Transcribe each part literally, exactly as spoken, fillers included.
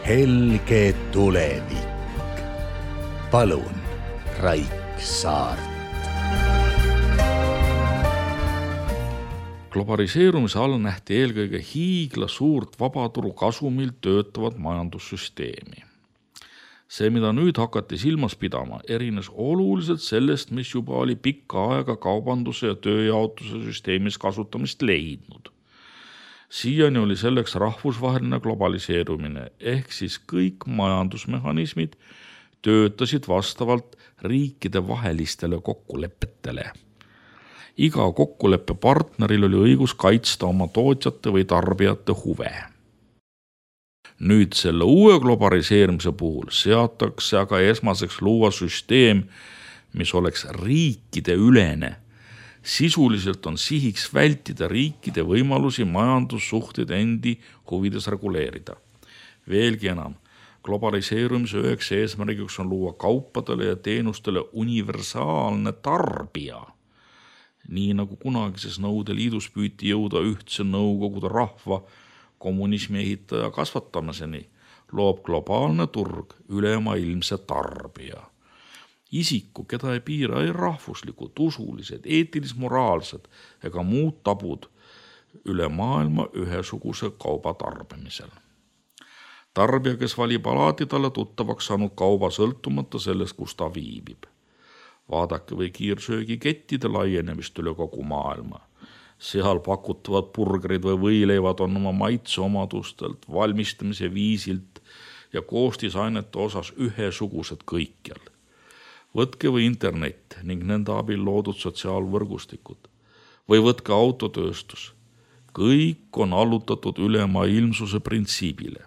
helge tulevik. Palun, Raik Saart. Globaliseerumise all nähti eelkõige hiigla suurt vabaturu kasumil töötavat majandussüsteemi. See, mida nüüd hakati silmas pidama, erines oluliselt sellest, mis juba oli pikka aega kaubanduse ja tööjaotuse süsteemis kasutamist leidnud. Siiani oli selleks rahvusvaheline globaliseerumine, ehk siis kõik majandusmehhanismid töötasid vastavalt riikide vahelistele kokkulepetele. Iga kokkuleppe partneril oli õigus kaitsta oma tootjate või tarbijate huve. Nüüd selle uue globaliseerimise puhul seatakse aga esmaseks luua süsteem, mis oleks riikide ülene. Sisuliselt on sihiks vältida riikide võimalusi majandussuhteid endi huvides reguleerida. Veelgi enam, globaliseerumise üheks eesmärgiks on luua kaupadele ja teenustele universaalne tarbija. Nii nagu kunagises Nõukogude Liidus püüti jõuda ühtse Nõukogude rahva kommunismi ehitaja kasvatamiseni, loob globaalne turg ülemaailmse tarbija. Isiku, keda ei piira ei rahvuslikud, usulised, eetilis-moraalsed ega muud tabud üle maailma ühesuguse kauba tarbimisel. Tarbija, kes valib alati talle tuttavaks saanud kauba sõltumata sellest, kus ta viibib. Vaadake või kiirsöögikettide laienemist üle kogu maailma. Seal pakutavad burgerid või võileivad on oma maitseomadustelt, valmistamise viisilt ja koostisainete osas ühesugused kõikjal. Võtke või internet ning nende abil loodud sotsiaalvõrgustikud või võtke autotööstus. Kõik on allutatud ülemaailmsuse printsiibile.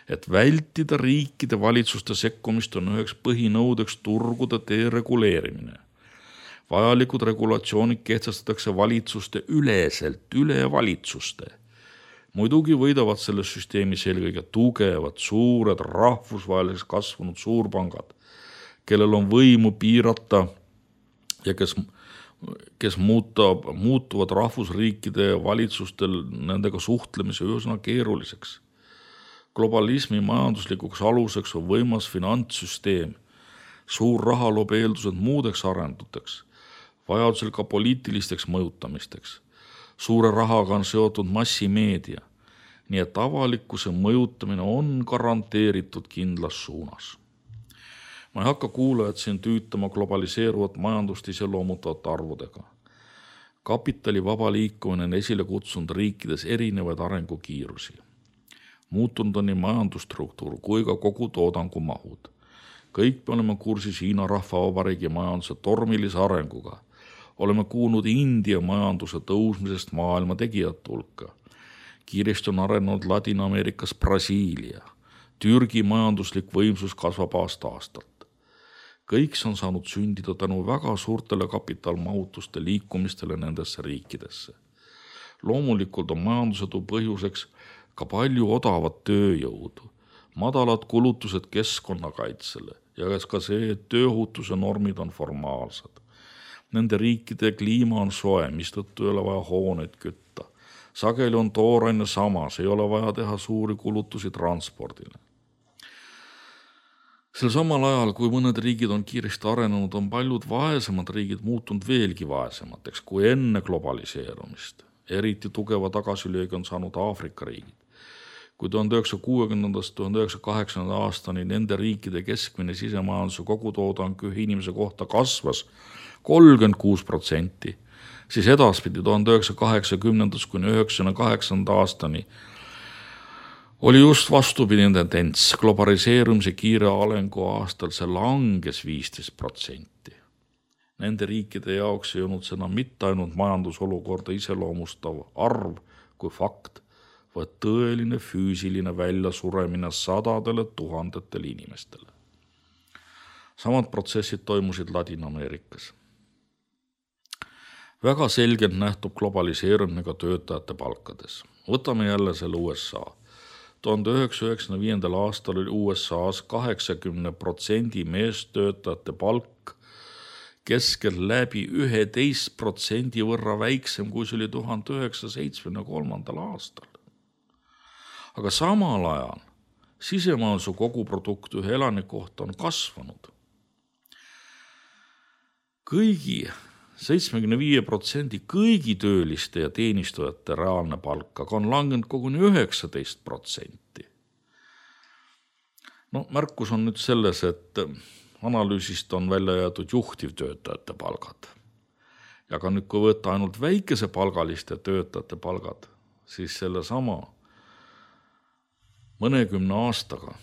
Et vältida riikide valitsuste sekkumist on üheks põhinõudeks turgude dereguleerimine. Vajalikud regulatsioonid kehtestatakse valitsuste üleselt üle valitsuste. Muidugi võidavad selles süsteemis eelkõige tugevad, suured, rahvusvaheliseks kasvanud suurpangad, kellel on võimu piirata ja kes, kes muutab, muutuvad rahvusriikide valitsustel nendega suhtlemise üsna keeruliseks. Globalismi majanduslikuks aluseks on võimas finantssüsteem, suur raha loob eeldused muudeks arenduteks, vajadusel ka poliitilisteks mõjutamisteks. Suure rahaga on seotud massimeedia, nii et avalikkuse mõjutamine on garanteeritud kindlas suunas. Ma ei hakka kuulajad siin tüütama globaliseeruvat majandust iseloomutavate arvudega. Kapitali vaba liikumine on esile kutsunud riikides erinevaid arengukiirusi. Muutunud on nii majandusstruktuur kui ka kogu toodangu mahud. Kõik me oleme kursis Hiina rahvavabariigi majanduse tormilise arenguga. Oleme kuulnud India majanduse tõusmisest maailma tegijate hulka. Kiiresti on arenenud Ladina-Ameerikas Brasiilia. Türgi majanduslik võimsus kasvab aasta aastalt. Kõik see on saanud sündida tänu väga suurtele kapitalmahutuste liikumistele nendesse riikidesse. Loomulikult on majandusedu põhjuseks ka palju odavat tööjõudu, madalad kulutused keskkonnakaitsele ja ka see, et tööohutuse normid on formaalsed. Nende riikide kliima on soe, mistõttu ei ole vaja hooneid kütta. Sageli on tooraine samas, ei ole vaja teha suuri kulutusi transpordile. Sel samal ajal, kui mõned riigid on kiiresti arenenud, on paljud vaesemad riigid muutunud veelgi vaesemateks kui enne globaliseerumist. Eriti tugeva tagasilöögi on saanud Aafrika riigid. Kui tuhande üheksasaja kuuekümnendast tuhande üheksasaja kaheksakümnenda aastani nende riikide keskmine sisemajanduse kogutoodang ühe inimese kohta kasvas kolmkümmend kuus protsenti, siis edaspidi tuhande üheksasaja kaheksakümnendast kuni üheksakümne kaheksanda aastani oli just vastupidine tendents. Globaliseerumise kiire arengu aastal see langes viisteist protsenti. Nende riikide jaoks ei olnud seda mitte ainult majandusolukorda iseloomustav arv kui fakt, vaid tõeline füüsiline väljasuremine sadadele tuhandetele inimestele. Samad protsessid toimusid Ladina-Ameerikas. Väga selgelt nähtub globaliseerumine ka töötajate palkades. Võtame jälle selle U S A. tuhande üheksasaja üheksakümne viiendal aastal oli U S A-s kaheksakümmend protsenti meestöötajate palk keskel läbi üheteist protsendi võrra väiksem, kui see oli tuhande üheksasaja seitsmekümne kolmandal aastal. Aga samal ajal sisemajanduse koguprodukt ühe elaniku kohta on kasvanud. Kõigi seitsmekümne viie protsendi kõigi tööliste ja teenistujate reaalne palk, aga on langenud koguni üheksateist protsenti. No, märkus on nüüd selles, et analüüsist on välja jäetud juhtivtöötajate palgad. Ja ka nüüd, kui võtta ainult väikese palgaliste töötajate palgad, siis selle sama mõnekümne aastaga,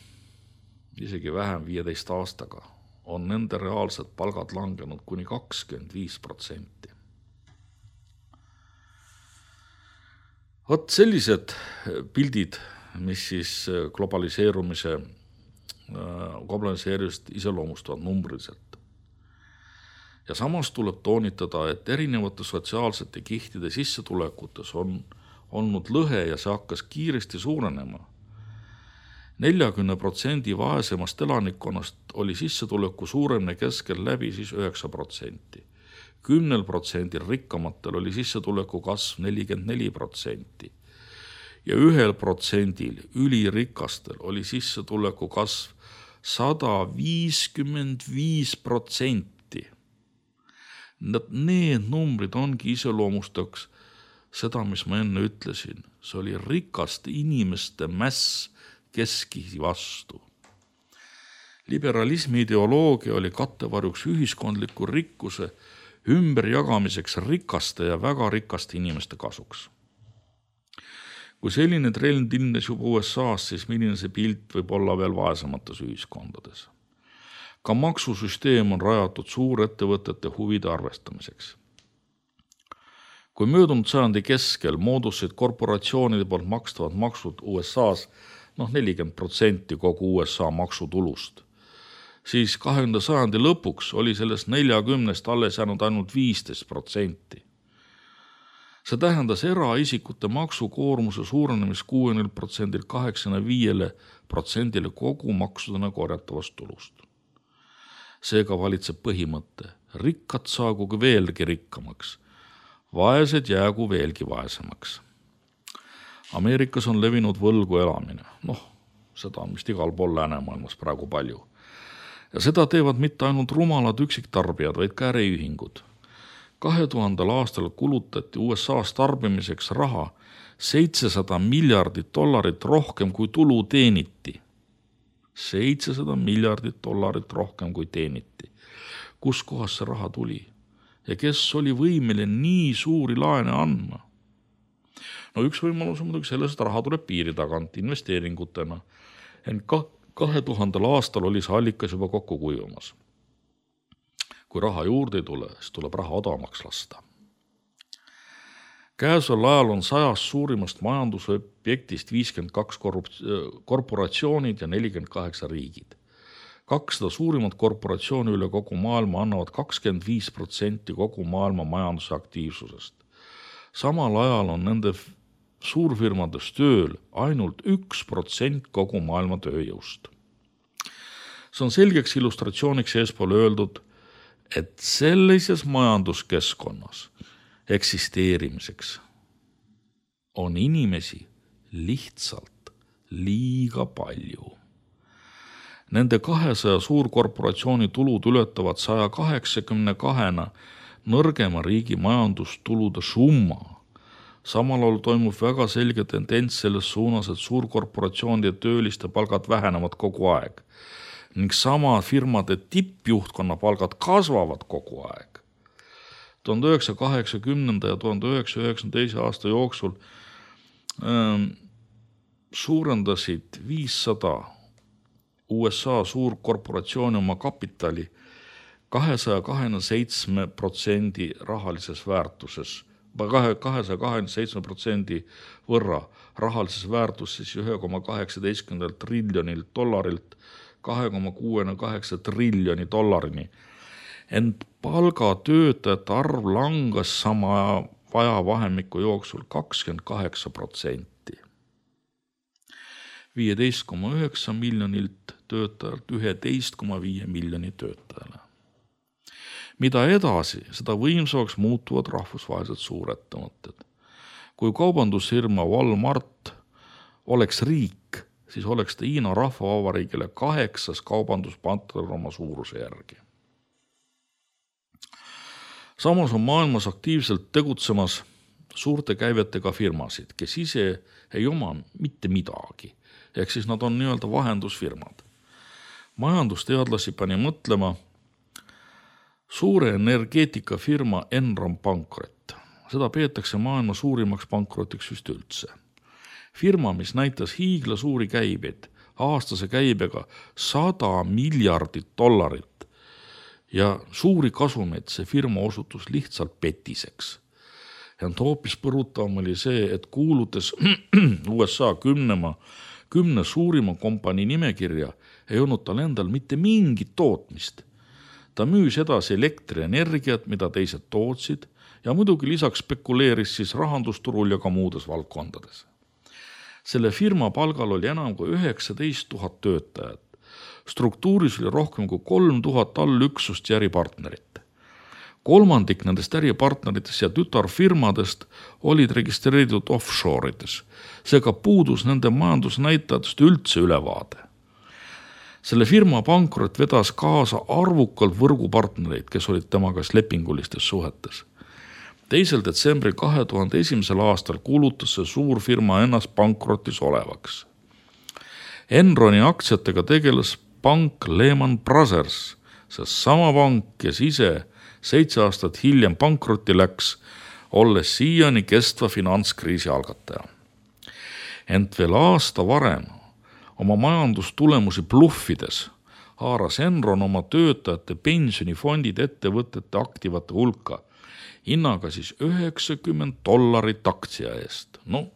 isegi vähem viieteist aastaga, on nende reaalsed palgad langenud kuni kakskümmend viis protsenti. Vot sellised pildid, mis siis globaliseerumise globaliseerumist iseloomustavad numbriliselt. Ja samas tuleb toonitada, et erinevate sotsiaalsete kihtide sissetulekutes on olnud lõhe ja see hakkas kiiresti suurenema. neljakümne protsendi vaesemast elanikkonnast oli sissetuleku suuremne keskel läbi siis üheksa protsenti. kümnel protsendil rikkamatel oli sissetuleku kasv nelikümmend neli protsenti. Ja ühel protsendil ülirikastel oli sissetuleku kasv sada viiskümmend viis protsenti. Need numbrid ongi iseloomustaks seda, mis ma enne ütlesin. See oli rikaste inimeste mäss keskisi vastu. Liberalismi ideoloogia oli kattevarjuks ühiskondliku rikkuse ümberjagamiseks rikaste ja väga rikaste inimeste kasuks. Kui selline trend ilmnes juba U S A-s, siis milline see pilt võib olla veel vaesemates ühiskondades. Ka maksusüsteem on rajatud suurettevõtete huvide arvestamiseks. Kui möödunud sajandi keskel moodusid korporatsioonide poolt makstavad maksud U S A-s noh nelikümmend protsenti kogu U S A maksutulust, siis kahekümnenda sajandi lõpuks oli sellest neljakümnest alles jäänud ainult viisteist protsenti. See tähendas eraisikute maksukoormuse suurenemist kuuekümnelt protsendilt kaheksakümne viiele protsendile kogu maksudena korjatavast tulust. Seega valitseb põhimõte, rikkad saagugi veelgi rikkamaks, vaesed jäägu veelgi vaesemaks. Ameerikas on levinud võlgu elamine. Noh, seda on vist igal pool läänemaailmas praegu palju. Ja seda teevad mitte ainult rumalad üksiktarbijad, vaid ka äriühingud. kahe tuhandel aastal kulutati U S A-s tarbimiseks raha seitsesada miljardit dollarit rohkem kui tulu teeniti. seitsesada miljardit dollarit rohkem kui teeniti. Kus kohas see raha tuli? Ja kes oli võimeline nii suuri laene andma? No üks võimalus on muidugi selles, et raha tuleb piiri tagant investeeringutena. Ent kahe tuhandel aastal oli see allikas juba kokku kuivamas. Kui raha juurde ei tule, siis tuleb raha odavamaks lasta. Käesoleval ajal on sajast suurimast majandusobjektist viiskümmend kaks korporatsioonid ja nelikümmend kaheksa riigid. kakssada suurimat korporatsiooni üle kogu maailma annavad kakskümmend viis protsenti kogu maailma majanduse aktiivsusest. Samal ajal on nende suurfirmades tööl ainult üks protsent kogu maailma tööjõust. See on selgeks illustratsiooniks eespool öeldud, et sellises majanduskeskkonnas eksisteerimiseks on inimesi lihtsalt liiga palju. Nende kahesaja suurkorporatsiooni tulud ületavad saja kaheksakümne kahena nõrgema riigi majandustulude summa. Samal ajal toimub väga selge tendents selles suunas, et suurkorporatsioonide tööliste palgad vähenevad kogu aeg. Ning sama firmade tippjuhtkonna palgad kasvavad kogu aeg. tuhande üheksasaja kaheksakümnenda ja tuhande üheksasaja üheksakümne teise aasta jooksul ähm, suurendasid viissada U S A suurkorporatsiooni oma kapitali kahesaja kahekümne seitsme protsendi rahalises väärtuses, kahesaja kahekümne seitsme protsendi võrra rahalises väärtuses ühe koma kaheksateist triljonilt dollarilt kahe koma kuuskümmend kaheksa triljoni dollarini. Ent palgatöötajate arv langas sama ajavahemiku jooksul kakskümmend kaheksa protsenti. viieteist koma üheksa miljonilt töötajalt üheteist koma viis miljoni töötajale. Mida edasi, seda võimsamaks muutuvad rahvusvahelised suurettevõtted. Kui kaubandusfirma Walmart oleks riik, siis oleks ta Hiina rahvavabariigile kaheksas kaubanduspartner oma suuruse järgi. Samas on maailmas aktiivselt tegutsemas suurte käivetega firmasid, kes ise ei oma mitte midagi, ehk siis nad on nii-öelda vahendusfirmad. Majandusteadlasi pani mõtlema suure energeetikafirma Enron pankrot. Seda peetakse maailma suurimaks pankrotiks vist üldse. Firma, mis näitas hiigla suuri käibeid, aastase käibega sada miljardit dollarit ja suuri kasumeid see firma osutus lihtsalt petiseks. Ja hoopis põrutavam oli see, et kuulutas U S A kümnema, kümne suurima kompanii nimekirja ei olnud tal endal mitte mingit tootmist. Ta müüs edasi elektrienergiat, mida teised tootsid ja muidugi lisaks spekuleeris siis rahandusturul ja ka muudes valdkondades. Selle firma palgal oli enam kui üheksateist tuhat töötajat. Struktuuris oli rohkem kui kolm tuhat allüksust ja äripartnerit. Kolmandik nendest äripartneritest ja tütarfirmadest olid registreeritud offshore'ides. Seega puudus nende majandusnäitajatest üldse ülevaade. Selle firma pankrot vedas kaasa arvukalt võrgupartnereid, kes olid temaga lepingulistes suhetes. teisel detsembril kahe tuhande esimesel aastal kuulutas see suur firma ennast pankrotis olevaks. Enroni aktsiatega tegeles pank Lehman Brothers, see sama pank, kes ise seitse aastat hiljem pankrotti läks, olles siiani kestva finantskriisi algataja. Ent veel aasta varem oma majandustulemusi bluffides haaras Enron oma töötajate pensionifondid ettevõtete aktivate hulka, hinnaga siis üheksakümmend dollarit aktsia eest. No,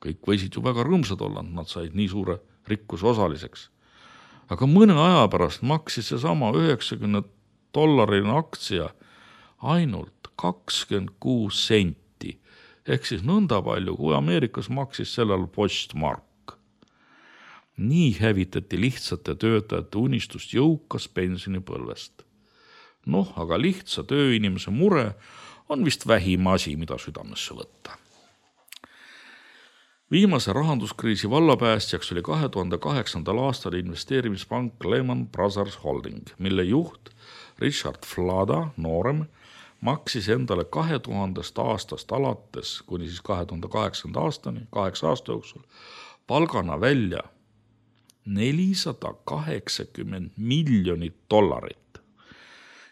kõik võisid ju väga rõõmsad olla, nad said nii suure rikkuse osaliseks. Aga mõne aja pärast maksis see sama üheksakümmend dollarine aktsia ainult kakskümmend kuus senti, ehk siis nõnda palju, kui Ameerikas maksis sellel postmark. Nii hävitati lihtsate töötajate unistust jõukas pensionipõlvest. Noh, aga lihtsa tööinimese mure on vist vähim asi, mida südamesse võtta. Viimase rahanduskriisi vallapäästjaks oli kahe tuhande kaheksandal aastal investeerimispank Lehman Brothers Holding, mille juht Richard Flada, noorem, maksis endale kahe tuhandest aastast alates, kuni siis kahe tuhande kaheksanda aastani, kaheksa aasta jooksul, palgana välja nelisada kaheksakümmend miljonit dollarit.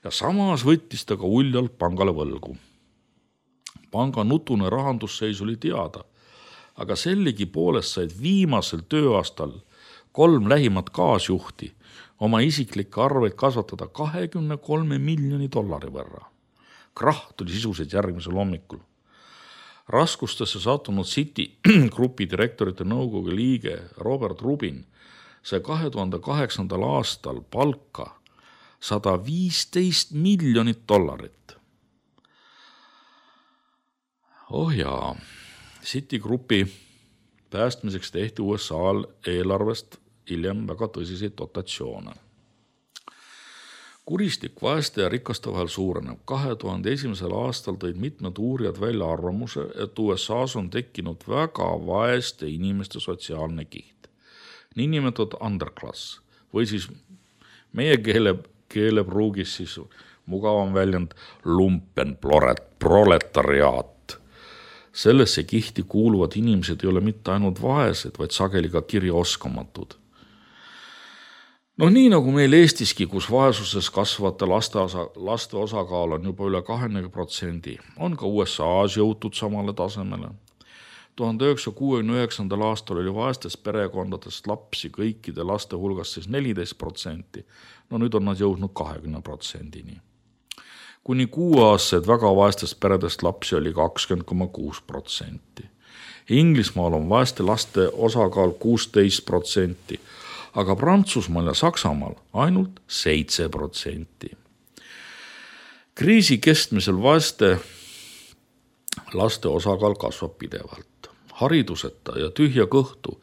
Ja samas võttis ta ka uljalt pangale võlgu. Panga nutune rahandusseis oli teada, aga sellegi poolest said viimasel tööaastal kolm lähimat kaasjuhti oma isiklikke arveid kasvatada kahekümne kolme miljoni dollari võrra. Krahh tuli sisuliselt järgmisel hommikul. Raskustesse sattunud Citi grupi direktorite nõukogu liige Robert Rubin sai kahe tuhande kaheksandal aastal palka sada viisteist miljonit dollarit. Oh jaa, Citi grupi päästmiseks tehti U S A-l eelarvest hiljem väga tõsiseid dotatsioone. Kuristik vaeste ja rikaste vahel suureneb. kahe tuhande esimesel aastal tõid mitmed uurijad välja arvamuse, et U S A-s on tekkinud väga vaeste inimeste sotsiaalne kiht. Niinimetatud underclass või siis meie keele, keelepruugis siis mugavam väljend lumpen proletariaat. Sellesse kihti kuuluvad inimesed ei ole mitte ainult vaesed, vaid sageli ka kirjaoskamatud. No nii nagu meil Eestiski, kus vaesuses kasvavate laste, osa, laste osakaal on juba üle kakskümmend protsenti, on ka U S A-s jõutud samale tasemele. tuhande üheksasaja kuuekümne üheksandal aastal oli vaestest perekondadest lapsi kõikide laste hulgast siis neliteist protsenti. No nüüd on nad jõudnud kakskümmend protsendini. Kuni kuueaastased väga vaestest peredest lapsi oli kakskümmend koma kuus protsenti. Inglismaal on vaeste laste osakaal kuusteist protsenti, aga Prantsusmaal ja Saksamaal ainult seitse protsenti. Kriisi kestmisel vaeste laste osakaal kasvab pidevalt. Hariduseta ja tühja kõhtu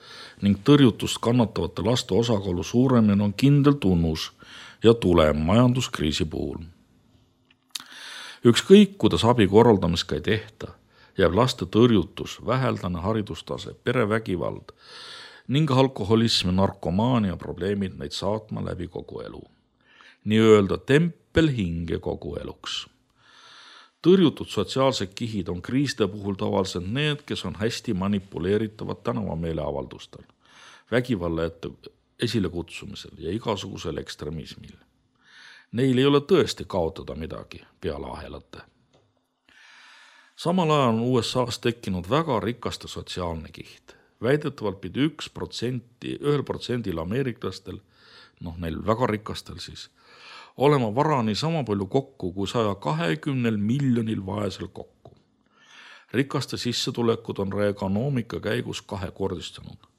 ning tõrjutust kannatavate laste osakaalu suuremine on kindel tunnus ja tulem majanduskriisi puhul. Ükskõik, kuidas abi korraldamist ka ei tehta, jääb laste tõrjutus, väheldane haridustase, perevägivald ning alkoholism ja narkomaania probleemid neid saatma läbi kogu elu. Nii-öelda tempel hinge kogu eluks. Tõrjutud sotsiaalsed kihid on kriiside puhul tavaliselt need, kes on hästi manipuleeritavad tänavameeleavaldustel, vägivalla ette esile kutsumisel ja igasugusel ekstremismil. Neil ei ole tõesti kaotada midagi peale ahelate. Samal ajal on U S A-s tekkinud väga rikaste sotsiaalne kiht. Väidetavalt pidi üks protsenti, ühel protsendil ameeriklastel, noh neil väga rikastel siis, olema varani sama palju kokku kui saja kahekümnel miljonil vaesel kokku. Rikaste sissetulekud on reagaanoomika käigus kahekordistunud.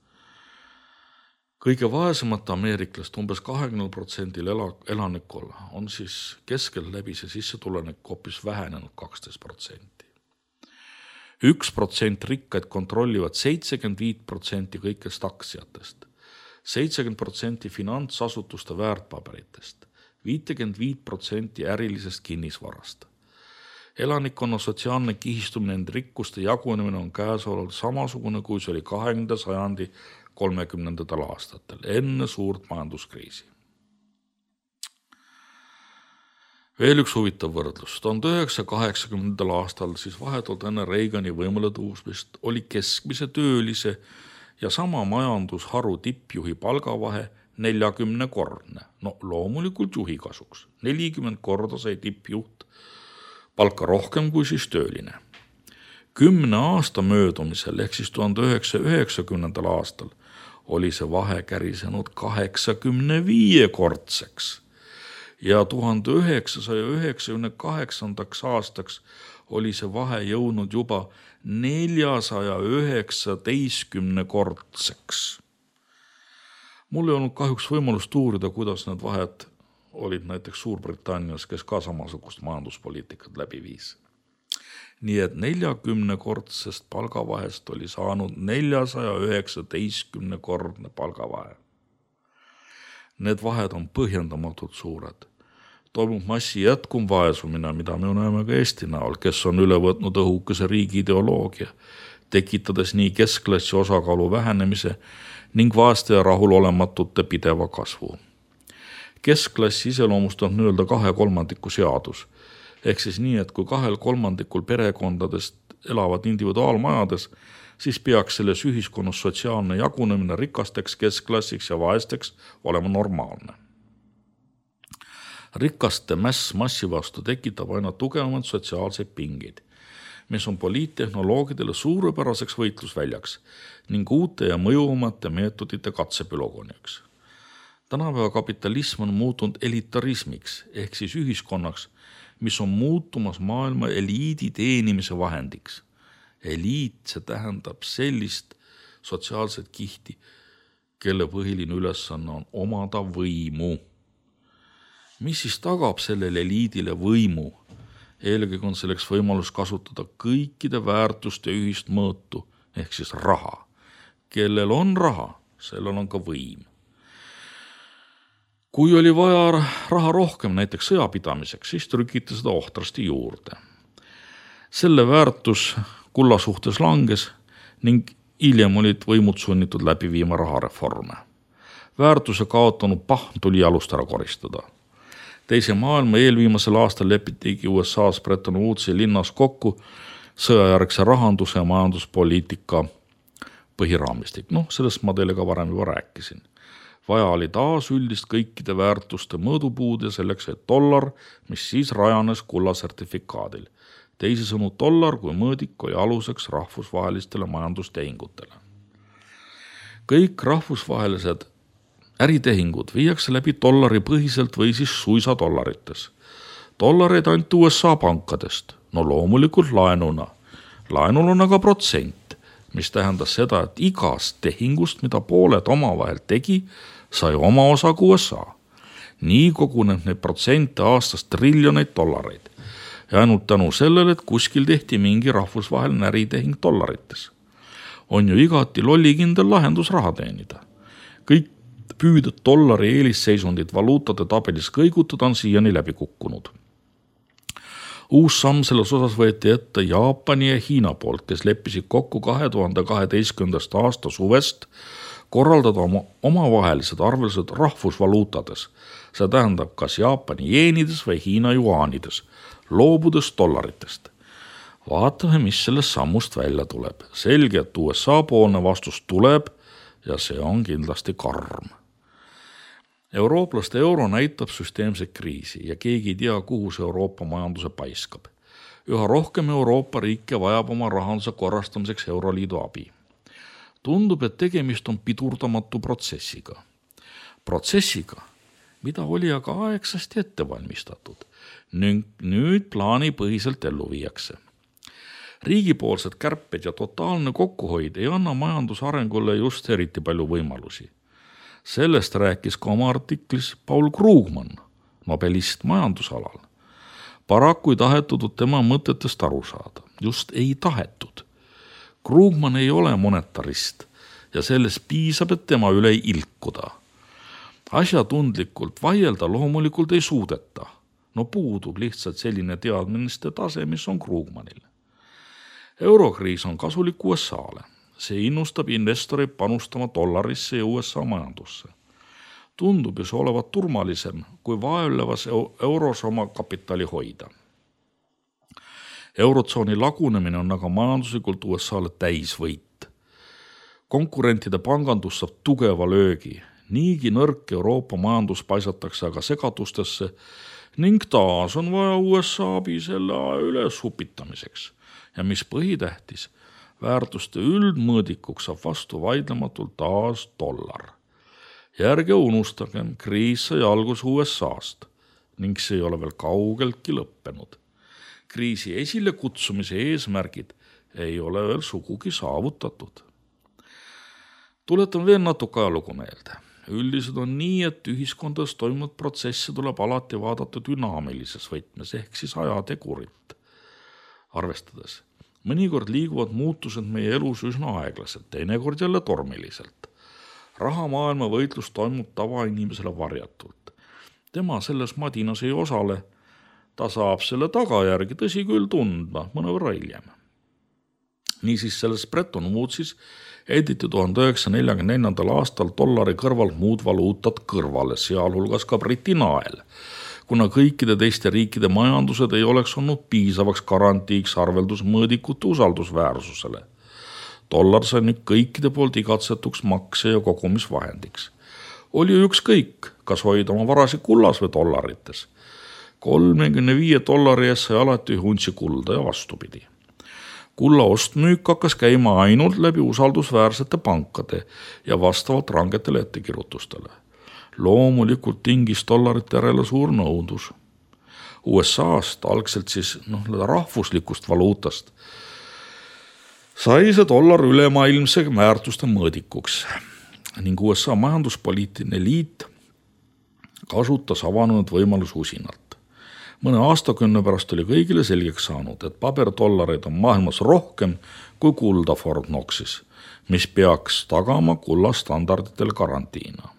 Kõige vaesemate ameeriklast umbes kahekümnel protsendil elanikul on siis keskel läbi see sissetulenik hoopis vähenenud kaksteist protsenti. üks protsent rikkaid kontrollivad seitsekümmend viis protsenti kõikest aktsiatest, seitsekümmend protsenti finantsasutuste väärtpaberitest, viiskümmend viis protsenti ärilisest kinnisvarast. Elanikkonna sotsiaalne kihistumine enda rikkuste jagunemine on käesoleval samasugune, kui see oli kahekümnenda sajandi kolmekümnendatel aastatel, enne suurt majanduskriisi. Veel üks huvitav võrdlus. tuhande üheksasaja kaheksakümnendal aastal siis vahetult enne Reagani võimule tõusmist oli keskmise töölise ja sama majandusharu tippjuhi palgavahe neljakümne kordne. No loomulikult juhi kasuks. nelikümmend korda sai tippjuht palka rohkem kui siis tööline. Kümne aasta möödumisel ehk siis tuhande üheksasaja üheksakümnendal aastal oli see vahe kärisenud kaheksakümne viie kordseks ja tuhande üheksasaja üheksakümne kaheksandaks aastaks oli see vahe jõudnud juba neljasaja üheksateistkümne kordseks. Mul ei olnud kahjuks võimalust uurida, kuidas need vahed olid näiteks Suurbritannias, kes ka samasugust majanduspoliitikat läbi viis. Nii et neljakümne kordsest palgavahest oli saanud neljasaja üheksateistkümne kordne palgavahe. Need vahed on põhjendamatult suured. Toimub massi jätkum vaesumine, mida me näeme ka Eesti näol, kes on üle võtnud õhukese riigi ideoloogia, tekitades nii keskklassi osakaalu vähenemise ning vaeste ja rahulolematute pideva kasvu. Keskklassi iseloomustab nii-öelda kahe kolmandiku seadus. Ehk siis nii, et kui kahel kolmandikul perekondadest elavad individuaalmajades, siis peaks selles ühiskonnas sotsiaalne jagunemine rikasteks, keskklassiks ja vaesteks olema normaalne. Rikaste mäss massi vastu tekitab aina tugevamad sotsiaalseid pingeid, mis on poliittehnoloogidele suurepäraseks võitlusväljaks ning uute ja mõjuvamate meetodite katsepülogoniaks. Tänapäeva kapitalism on muutunud elitarismiks ehk siis ühiskonnaks, mis on muutumas maailma eliidi teenimise vahendiks. Eliit, see tähendab sellist sotsiaalset kihti, kelle põhiline ülesanne on omada võimu. Mis siis tagab sellele eliidile võimu? Eelkõige on selleks võimalus kasutada kõikide väärtuste ühist mõõtu, ehk siis raha. Kellel on raha, sellel on ka võim. Kui oli vaja raha rohkem näiteks sõjapidamiseks, siis trükiti seda ohtrasti juurde. Selle väärtus kulla suhtes langes ning hiljem olid võimud sunnitud läbi viima rahareforme. Väärtuse kaotanud pahm tuli jalust ära koristada. Teise maailma eelviimasel aastal lepitigi U S A-s Bretton Woodsi linnas kokku sõjajärgse rahanduse ja majanduspoliitika põhiraamistik. Noh, sellest ma teile ka varem juba rääkisin. Vaja oli taas üldist kõikide väärtuste mõõdupuud ja selleks, et dollar, mis siis rajanes kulla sertifikaadil. Teisisõnu dollar kui mõõdik oli aluseks rahvusvahelistele majandustehingutele. Kõik rahvusvahelised äritehingud viiakse läbi dollari põhiselt või siis suisa dollarites. Dollareid anti U S A pankadest, no loomulikult laenuna. Laenul on aga protsent, mis tähendas seda, et igast tehingust, mida pooled omavahel tegi, sai oma osa U S A. Nii koguneb neid protsente aastas triljoneid dollareid. Ja ainult tänu sellele, et kuskil tehti mingi rahvusvaheline äritehing dollarites. On ju igati lollikindel lahendus raha teenida. Kõik püüded dollari eelisseisundid valuutade tabelis kõigutada on siiani läbi kukkunud. Uus samm selles osas võeti ette Jaapani ja Hiina poolt, kes leppisid kokku kahe tuhande kaheteistkümnendast aasta suvest korraldada oma omavahelised arvelised rahvusvaluutades, see tähendab kas Jaapani jeenides või Hiina juaanides, loobudes dollaritest. Vaatame, mis sellest sammust välja tuleb. Selge, et U S A poolne vastus tuleb ja see on kindlasti karm. Eurooplaste euro näitab süsteemset kriisi ja keegi ei tea, kuhu see Euroopa majanduse paiskab. Üha rohkem Euroopa riike vajab oma rahanduse korrastamiseks Euroliidu abi. Tundub, et tegemist on pidurdamatu protsessiga. Protsessiga, mida oli aga aegsasti ette valmistatud ning nüüd plaanipõhiselt ellu viiakse. Riigipoolsed kärped ja totaalne kokkuhoid ei anna majandusarengule just eriti palju võimalusi. Sellest rääkis ka oma artiklis Paul Krugman, nobelist majandusalal. Paraku ei tahetud tema mõtetest aru saada. Just ei tahetud. Krugman ei ole monetarist ja sellest piisab, et tema üle ei ilkuda. Asjatundlikult vaielda loomulikult ei suudeta. No puudub lihtsalt selline teadmiste tase, mis on Krugmanil. Eurokriis on kasulik U S A-le. See innustab investoreid panustama dollarisse ja U S A majandusse. Tundub ju see olevat turvalisem, kui vaevlevas euros oma kapitali hoida. Eurotsooni lagunemine on aga majanduslikult U S A-le täisvõit. Konkurentide pangandus saab tugeva löögi. Niigi nõrk Euroopa majandus paisatakse aga segadustesse ning taas on vaja U S A abi selle üles upitamiseks. Ja mis põhitähtis, väärtuste üldmõõdikuks saab vastu vaidlematult taas dollar. Järge unustagem, kriis sai algus U S A-st ning see ei ole veel kaugeltki lõppenud. Kriisi esile kutsumise eesmärgid ei ole veel sugugi saavutatud. Tuletan veel natuke ajalugu meelde. Üldiselt on nii, et ühiskondades toimunud protsessi tuleb alati vaadata dünaamilises võtmes ehk siis ajategurit arvestades. Mõnikord liiguvad muutused meie elus üsna aeglaselt, teinekord jälle tormiliselt. Rahamaailma võitlus toimub tavainimesele varjatult. Tema selles madinas ei osale, ta saab selle tagajärgi tõsi küll tundma mõnevõrra hiljem. Niisiis selles Bretton Woodsis editi tuhande üheksasaja neljakümne neljandal aastal dollari kõrval muud valuutad kõrvale, sealhulgas ka Briti nael, kuna kõikide teiste riikide majandused ei oleks olnud piisavaks garantiiks arveldusmõõdikute usaldusväärsusele. Dollar sai nüüd kõikide poolt igatsetuks makse ja kogumisvahendiks. Oli ükskõik, kas hoida oma varasi kullas või dollarites. kolmekümne viie dollari eest sai alati untsi kulda ja vastupidi. Kulla ostmüük hakkas käima ainult läbi usaldusväärsete pankade ja vastavalt rangetele ettekirjutustele. Loomulikult tingis dollarite järele suur nõudlus. U S A-st, algselt siis noh, rahvuslikust valuutast, sai see dollar ülemaailmse väärtuste mõõdikuks ning U S A majanduspoliitiline liit kasutas avanenud võimalus usinalt. Mõne aastakümne pärast oli kõigile selgeks saanud, et paberdollareid on maailmas rohkem kui kulda Fort Knoxis, mis peaks tagama kulla standarditel karantiina.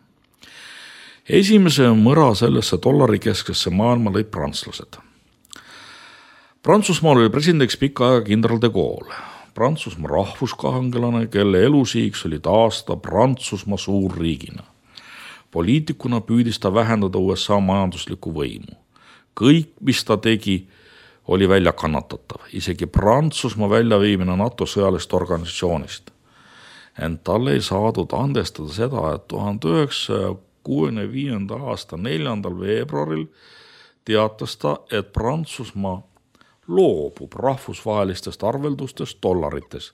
Esimese mõra sellesse dollari keskesse maailma lõid prantslased. Prantsusmaal oli presidendiks pikka aega kindral de Gaulle, Prantsusmaa rahvuskahangelane, kelle elusiiks oli taastada Prantsusmaa suurriigina. Poliitikuna püüdis ta vähendada U S A majanduslikku võimu. Kõik, mis ta tegi, oli välja kannatatav, isegi Prantsusmaa väljaviimine NATO sõjalist organisatsioonist. Ent talle ei saadud andestada seda, et tuhande üheksasaja kuuekümne viienda aasta neljandal veebruaril teatas ta, et Prantsusmaa loobub rahvusvahelistest arveldustest dollarites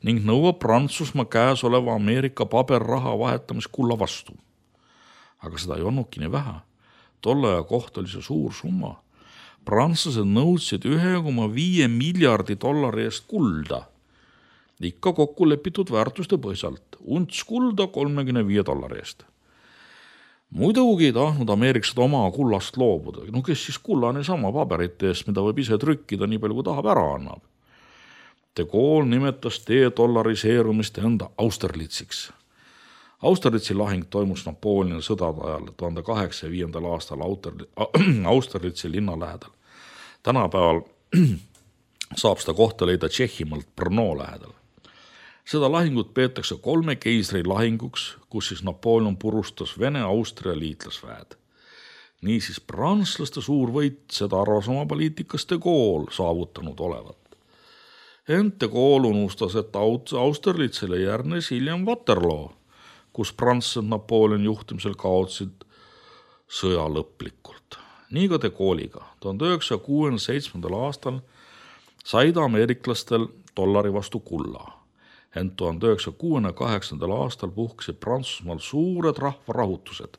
ning nõuab Prantsusmaa käes oleva Ameerika paberraha vahetamist kulla vastu. Aga seda ei olnudki nii vähe. Tolle aja kohta oli see suur summa. Prantslased nõudsid ühe koma viie miljardi dollari eest kulda. Ikka kokku lepitud väärtuste põhjalt. Unts kulda kolmekümne viie dollari eest. Muidugi ei tahtnud ameeriklased oma kullast loobuda. No kes siis kulla niisama paberite eest, mida võib ise trükkida nii palju, kui tahab ära annab. De Gaulle nimetas de-dollariseerumist enda Austerlitsiks. Austerlitsi lahing toimus Napoleoni sõdade ajal tuhande kaheksasaja viiendal aastal Austerlitsi linna lähedal. Tänapäeval saab seda kohta leida Tšehhimaalt Brno lähedal. Seda lahingut peetakse kolme keisri lahinguks, kus siis Napoleon purustas Vene-Austria liitlasväed. Niisiis prantslaste suur võit, seda arvas oma poliitikas de Gaulle saavutanud olevat. Ent de Gaulle unustas, et Austerlitzile järgnes hiljem Waterloo, kus prantslased Napoleoni juhtimisel kaotsid sõja lõplikult. Nii ka de Gaulle'iga. tuhande üheksasaja kuuekümne seitsmendal aastal said ameeriklastel dollari vastu kulla. Ent tuhande üheksasaja kuuekümne kaheksandal aastal puhkesid Prantsusmaal suured rahvarahutused.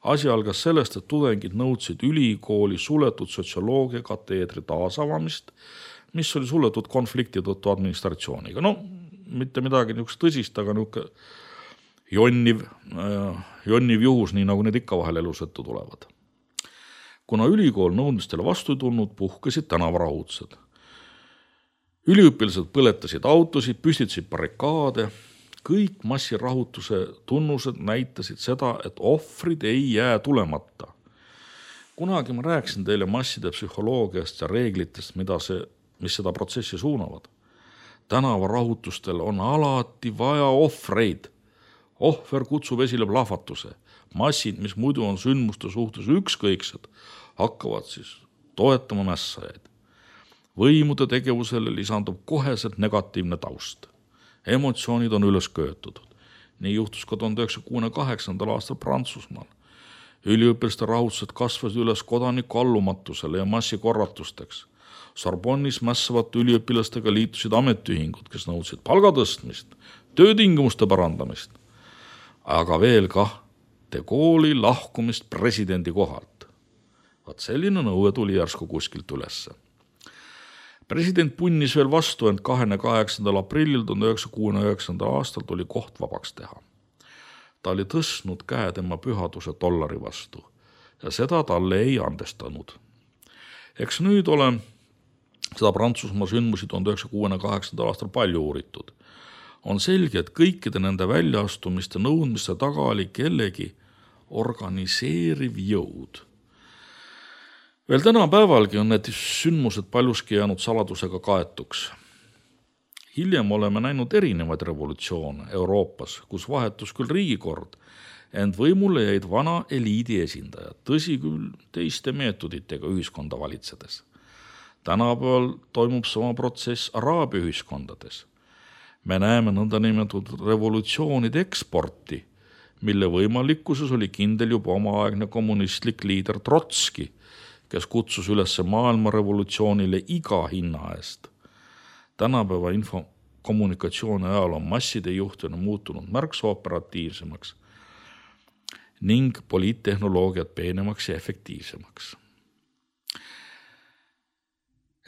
Asi algas sellest, et tudengid nõudsid ülikooli suletud sotsioloogia kateedri taasavamist, mis oli suletud konflikti tõttu administratsiooniga. No, mitte midagi niisugust tõsist, aga niisugune jonniv, jonniv juhus, nii nagu need ikka vahel elus ette tulevad. Kuna ülikool nõudmistele vastu tulnud, puhkesid tänavarahutused. Üliõpilased põletasid autosid, püstitasid barrikaade. Kõik massirahutuse tunnused näitasid seda, et ohvrid ei jää tulemata. Kunagi ma rääkisin teile masside psühholoogiast ja reeglitest, mida see, mis seda protsessi suunavad. Tänavarahutustel on alati vaja ohvreid. Ohver kutsub esile plahvatuse. Massid, mis muidu on sündmuste suhtes ükskõiksed, hakkavad siis toetama mässajaid. Võimude tegevusele lisandub koheselt negatiivne taust. Emotsioonid on üles köötud. Nii juhtus ka tuhande üheksasaja kuuekümne kaheksandal aastal Prantsusmaal. Üliõpilaste rahutused kasvasid üles kodaniku allumatusele ja massikorratusteks. Sorbonnis mässavate üliõpilastega liitusid ametiühingud, kes nõudsid palgatõstmist, töötingimuste parandamist, aga veel kah de Gaulle'i lahkumist presidendi kohalt. Vaat selline nõue tuli järsku kuskilt ülesse. President punnis veel vastu, ent kahekümne kaheksandal aprillil tuhande üheksasaja kuuekümne üheksandal aastal tuli koht vabaks teha. Ta oli tõstnud käe tema pühaduse dollari vastu ja seda talle ei andestanud. Eks nüüd ole seda Prantsusmaa sündmusi tuhande üheksasaja kuuekümne kaheksandal aastal palju uuritud. On selge, et kõikide nende väljaastumiste nõudmiste taga oli kellegi organiseeriv jõud. Veel tänapäevalgi on need sündmused paljuski jäänud saladusega kaetuks. Hiljem oleme näinud erinevaid revolutsioone Euroopas, kus vahetus küll riigikord, ent võimule jäid vana eliidi esindajad, tõsi küll teiste meetoditega ühiskonda valitsedes. Tänapäeval toimub sama protsess araabia ühiskondades. Me näeme nõndanimetatud revolutsioonide eksporti, mille võimalikkuses oli kindel juba omaaegne kommunistlik liider Trotski, kes kutsus üles maailma revolutsioonile iga hinna eest. Tänapäeva infokommunikatsiooni ajal on masside juhtimine muutunud märksa operatiivsemaks ning poliittehnoloogiat peenemaks ja efektiivsemaks.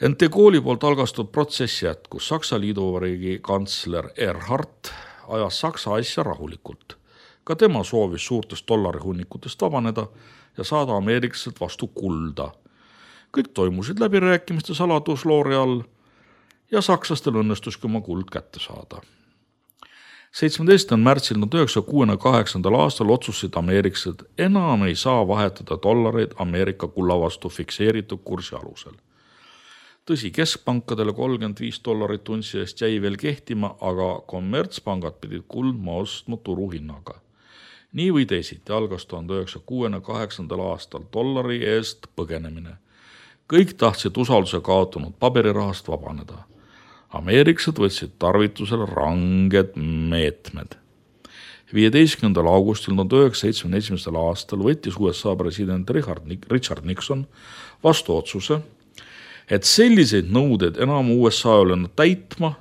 Ent de Gaulle'i poolt algastatud protsess jätkus. Saksa liiduvabariigi kantsler Erhard ajas Saksa asja rahulikult. Ka tema soovis suurtest dollarihunnikutest vabaneda ja saada ameeriklased vastu kulda. Kõik toimusid läbirääkimiste saladusloori all ja sakslastel õnnestuski oma kuld kätte saada. seitsmeteistkümnendal märtsil tuhande üheksasaja kuuekümne kaheksandal aastal otsustasid ameeriklased enam ei saa vahetada dollareid Ameerika kulla vastu fikseeritud kursi alusel. Tõsi, keskpankadele kolmkümmend viis dollarit untsi eest jäi veel kehtima, aga kommertspangad pidid kuldma ostma turuhinnaga. Nii või teisiti algas tuhande üheksasaja kuuekümne kaheksandal aastal dollari eest põgenemine. Kõik tahtsid usalduse kaotanud paberirahast vabaneda. Ameeriklased võtsid tarvitusele ranged meetmed. viieteistkümnendal augustil tuhande üheksasaja seitsmekümne esimesel aastal võttis U S A president Richard Nixon vastu otsuse, et selliseid nõudeid enam U S A ei ole täitma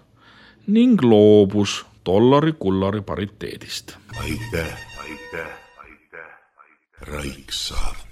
ning loobus dollari-kullari pariteedist. Aitäh, aitäh, aitäh, aitäh. Raiksaart.